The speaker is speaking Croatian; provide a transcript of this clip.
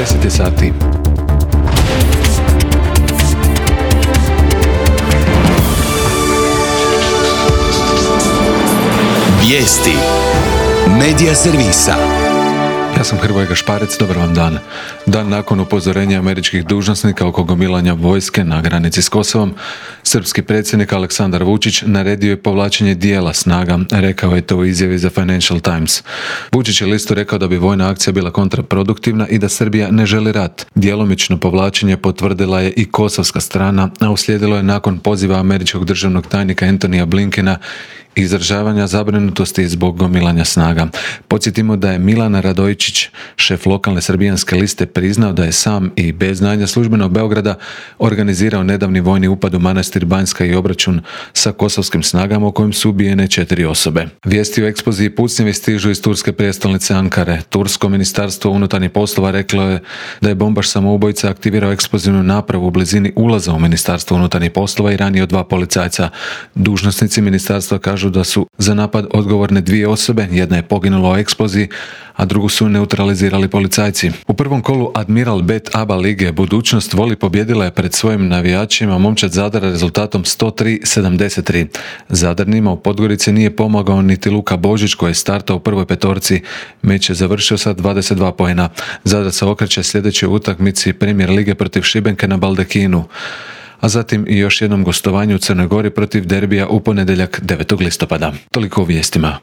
10 je sati. Vijesti Medija servisa. Ja sam Hrvoje Gašparec, dobar vam dan. Dan nakon upozorenja američkih dužnosnika oko gomilanja vojske na granici s Kosovom, srpski predsjednik Aleksandar Vučić naredio je povlačenje dijela snaga, rekao je to u izjavi za Financial Times. Vučić je listu rekao da bi vojna akcija bila kontraproduktivna i da Srbija ne želi rat. Djelomično povlačenje potvrdila je i kosovska strana, a uslijedilo je nakon poziva američkog državnog tajnika Antonija Blinkena i izražavanja zabrinutosti zbog gomilanja snaga. Podsjetimo da je Milan Radojičić, šef lokalne srbijanske liste, priznao da je sam i bez znanja službenog Beograda organizirao nedavni vojni upad u manastir Banjska i obračun sa kosovskim snagama u kojem su ubijene 4 osobe. Vijesti o eksploziji pucnjevi stižu iz turske prijestolnice Ankare. Tursko ministarstvo unutarnjih poslova reklo je da je bombaš samoubojica aktivirao eksplozivnu napravu u blizini ulaza u ministarstvo unutarnjih poslova i ranio 2 policajca. Dužnosnici ministarstva kažu da su za napad odgovorne 2 osobe, jedna je poginula u eksploziji, a drugu su neutralizirali policajci. U prvom kolu Admiral Bet ABA lige Budućnost voli pobjedila je pred svojim navijačima momčad Zadara rezultatom 103-73. Zadarnima u Podgorici nije pomogao niti Luka Božić koji je startao u prvoj petorci. Meč je završio sa 22 poena. Zadar se okreće sljedećoj utakmici Premier lige protiv Šibenke na Baldekinu, a zatim i još jednom gostovanju u Crnoj Gori protiv Derbija u ponedjeljak 9. listopada. Toliko u vijestima.